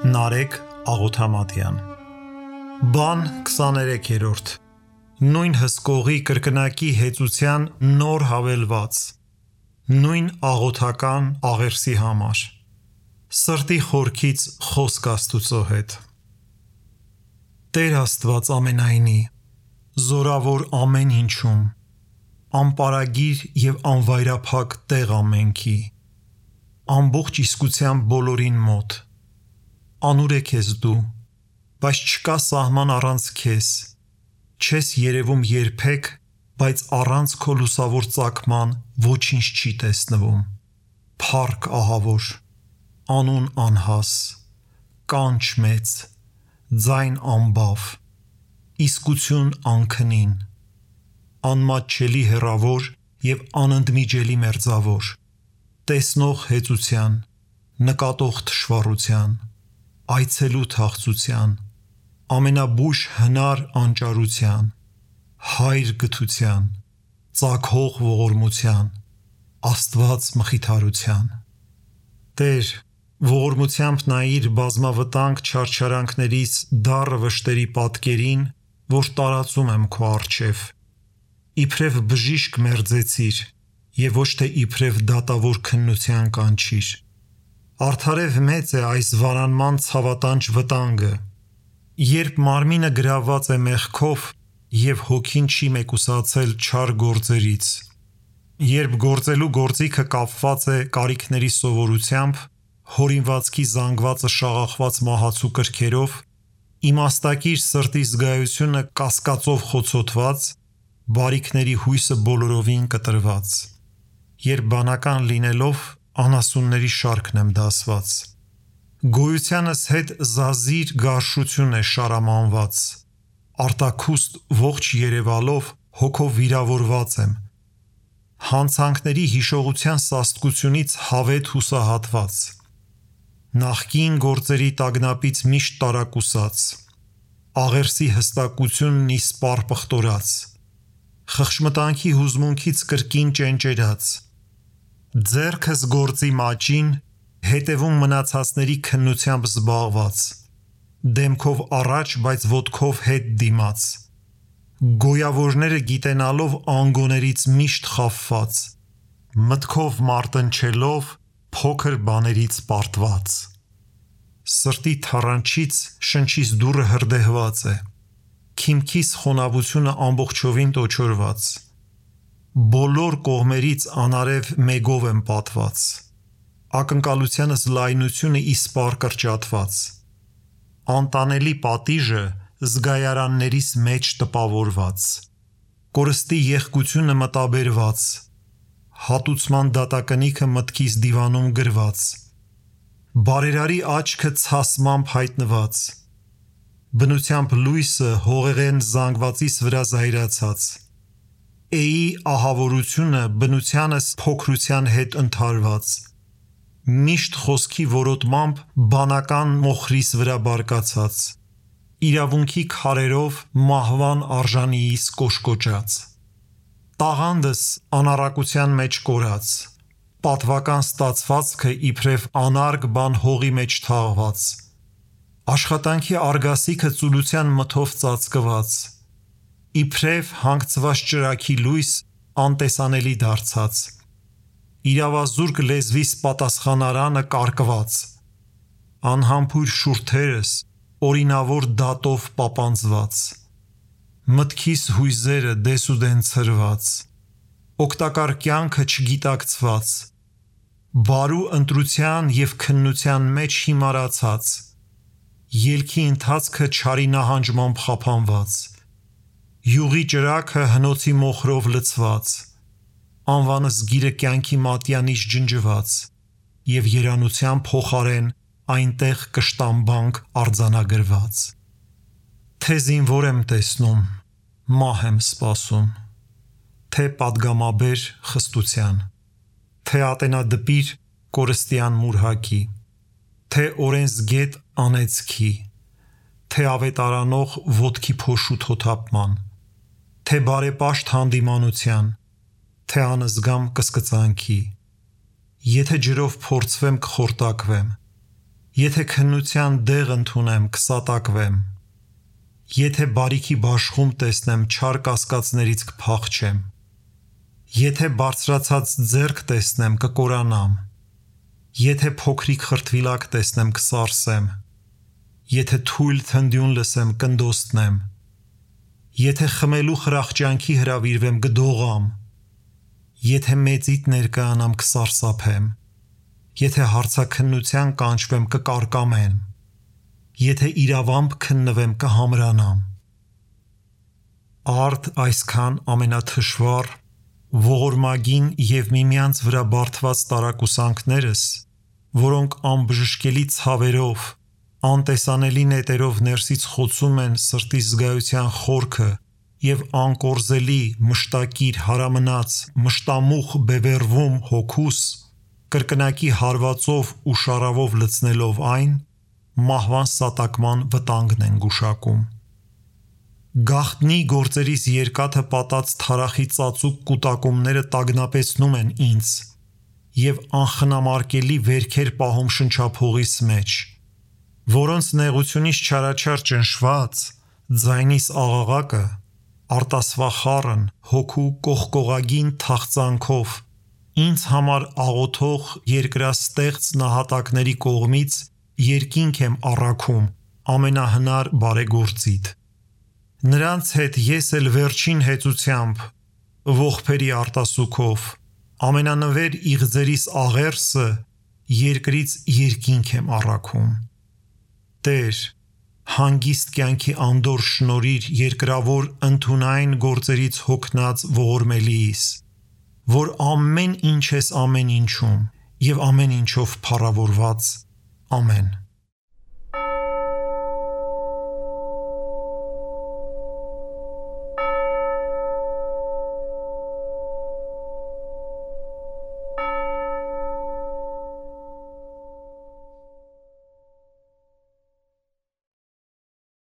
Նարեկ Աղոթամատյան Բան 23-րդ Նույն հսկողի կրկնակի հեծության նոր հավելված Նույն աղոթական աղերսի համար Սրտի խորքից խոսք Աստուծո հետ Տեր Աստված ամենայնի Զորավոր ամեն ինչում Անպարագիր և անվայրափակ տեղ ամենքի Ամբողջ իսկության բոլորին մոտ Անուր է քեզ դու, բայց չկա սահման առանց քեզ, չես երևում երբեք, բայց առանց քո լուսավոր ծագման ոչինչ չի տեսնվում, փառք ահավոր, անուն անհաս, կանչ մեծ, ձայն անբավ, իսկություն անքնին, անմատչելի հեռավոր և անընդմիջելի մերձավոր, տեսնող հեծության, նկատող թշվառության, այցելու թախծության, ամենաբույժ հնար անճարության, հայր գթության, ծագող ողորմության, Աստված մխիթարության։ Տեր, ողորմությամբ նայիր բազմավտանգ չարչարանքներից դառը վշտերի պատկերին, որ տարածում եմ քո առջև։ Իբրև բժիշկ մերձեցիր, և ոչ թե իբրև դատավոր քննության կանչիր։ Արդարև մեծ է այս վարանման ցավատանչ վտանգը, երբ մարմինը գրավված է մեղքով և հոգին չի մեկուսացել չար գործերից, երբ գործելու գործիքը կապված է կարիքների սովորությամբ, հորինվածքի զանգվածը շաղախված մահացու կրքերով, իմաստակիր սրտի զգայությունը կասկածով խոցոտված, բարիքների հույսը բոլորովին կտրված, երբ բանական լինելով անասունների շարքն եմ դասված, գոյությանս հետ զազիր գարշություն է շարամանված, արտաքուստ ողջ երևալով հոգով վիրավորված եմ, հանցանքների հիշողության սաստկությունից հավետ հուսահատված, նախկին գործերի տագնապից միշտ տարակուսած, աղերսի հստակությունն իսպառ պղտորած, խղճմտանքի հուզմունքից կրկին ճենճերած, ձեռքս գործի մաճին, հետևում մնացածների քննությամբ զբաղված, դեմքով առաջ, բայց ոտքով հետ դիմաց, գոյավորները գիտենալով անգոներից միշտ խաբված, մտքով մարտնչելով փոքր բաներից պարտված, սրտի թառանչից շնչիս դուռը հրդեհված է, քիմքիս խոնավությունը ամբողջովին տոչորված, բոլոր կողմերից անարև մեգով եմ պատված, ակնկալությանս լայնությունը իսպառ կրճատված, անտանելի պատիժը զգայարաններիս մեջ տպավորված, կորստի եղկությունը մտաբերված, հատուցման դատակնիքը մտքիս դիվանում գրված, բարերարի աչքը ցասմամբ հայտնված, բնությամբ լույսը հողեղեն զանգվածիս վրա զայրացած, էի ահավորությունը բնությանս փոքրության հետ ընդհարված, միշտ խոսքի որոտմամբ բանական մոխրիս վրա բարկացած, իրավունքի քարերով մահվան արժանիիս կոշկոճած, տաղանդս անառակության մեջ կորած, պատվական ստացվածքը իբրև անարգ բան հողի մեջ թաղված, աշխատանքի արգասիքը ծուլության մթով ծածկված, իբրև հանգցված ճրագի լույս անտեսանելի դարձած, իրավազուրկ լեզվիս պատասխանարանը կարկված, անհամբույր շուրթերս օրինավոր դատով պապանձված, մտքիս հույզերը դեսուդեն ցրված, օգտակար կյանքը չգիտակցված, բարու ընտրության և քննության մեջ հիմարացած, ելքի ընթացքը չարի նահանջմամբ խափանված, յուղի ճրագը հնոցի մոխրով լցված, անվանս գիրը կյանքի մատյանից ջնջված և երանության փոխարեն այնտեղ կշտամբանք արձանագրված, թե զինվոր եմ տեսնում, մահ եմ սպասում, թե պատգամաբեր խստության, թե ատենադպիր կորստյան մուրհակի, թե օրենսգետ անեծքի, թե ավետարանող ոտքի փոշու թոթափման, թե բարեպաշտ հանդիմանության, թե անզգամ կսկծանքի, եթե ջրով փորձվեմ կխորտակվեմ, Եթե քննության դեղ ընդունեմ, կսատակվեմ։ Եթե բարիքի բաշխում տեսնեմ, չար կասկածներից կփախչեմ։ Եթե բարձրացած ձեռք տեսնեմ, կկորանամ։ Եթե փոքրիկ խրտվիլակ տեսնեմ, կսարսեմ։ Եթե թույլ թնդյուն լսեմ, կնդոստնեմ։ Եթե խմելու խրախճանքի հրավիրվեմ, կդողամ։ Եթե մեծիտ ներկայանամ, կսարսափեմ։ Եթե հարցաքննության կանչվեմ, կկարկամեմ։ Եթե իրավամբ քննվեմ, կհամրանամ։ Արդ այսքան ամենաթշվառ, ողորմագին և միմյանց վրա բարդված տարակուսանքներս, որոնք անբժշկելի ցավերով, անտեսանելի նետերով ներսից խոցում են սրտիս զգայության խորքը և անկորզելի, մշտակիր, հարամնաց, մշտամուխ բևեռվում հոգուս, կրկնակի հարվածով ու շառավով լցնելով այն, մահվան սատակման վտանգն են գուշակում։ Գաղտնի գործերիս երկաթը պատած թարախի ծածուկ կուտակումները տագնապեցնում են ինձ և անխնամարկելի վերքեր պահում շնչափողիս մեջ, որոնց նեղությունից չարաչար ճնշված, ձայնիս աղաղակը, արտասվախառն, հոգու կողկողագին թախծանքով ինձ համար աղոթող երկրաստեղծ նահատակների կողմից երկինք եմ առաքում ամենահնար բարեգործիդ։ Նրանց հետ ես էլ վերջին հեծությամբ, ողբերի արտասուքով, ամենանվեր իղձերիս աղերսը երկրից երկինք եմ առաքում։ Տեր, հանգիստ կյանքի անդորր շնորհիր երկրավոր ընդունայն գործերից հոգնած ողորմելիիս, որ ամեն ինչ ես ամեն ինչում և ամեն ինչով փառավորված։ Ամեն։